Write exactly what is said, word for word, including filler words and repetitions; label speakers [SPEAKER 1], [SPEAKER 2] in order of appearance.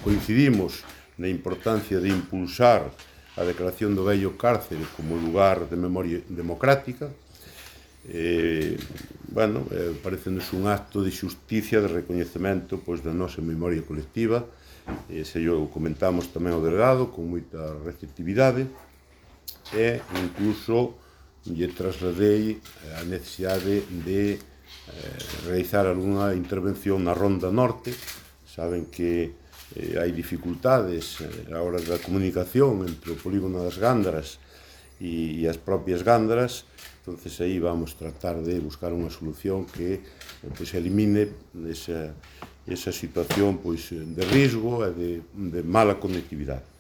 [SPEAKER 1] coincidimos na importancia de impulsar a declaración do vello cárcere como lugar de memoria democrática. Eh, bueno, eh, parecenos un acto de xusticia, de recoñecemento pois, da nosa memoria colectiva. Eh, se yo comentamos tamén ao delegado con moita receptividade e incluso lle trasladei a necesidade de eh, realizar algunha intervención na Ronda Norte. Saben que eh, hai dificultades eh, a hora da comunicación entre o polígono das Gándaras e, e as propias Gándaras. Entonces aí vamos tratar de buscar unha solución que eh, pues, elimine esa, esa situación pues, de risgo e de, de mala conectividade.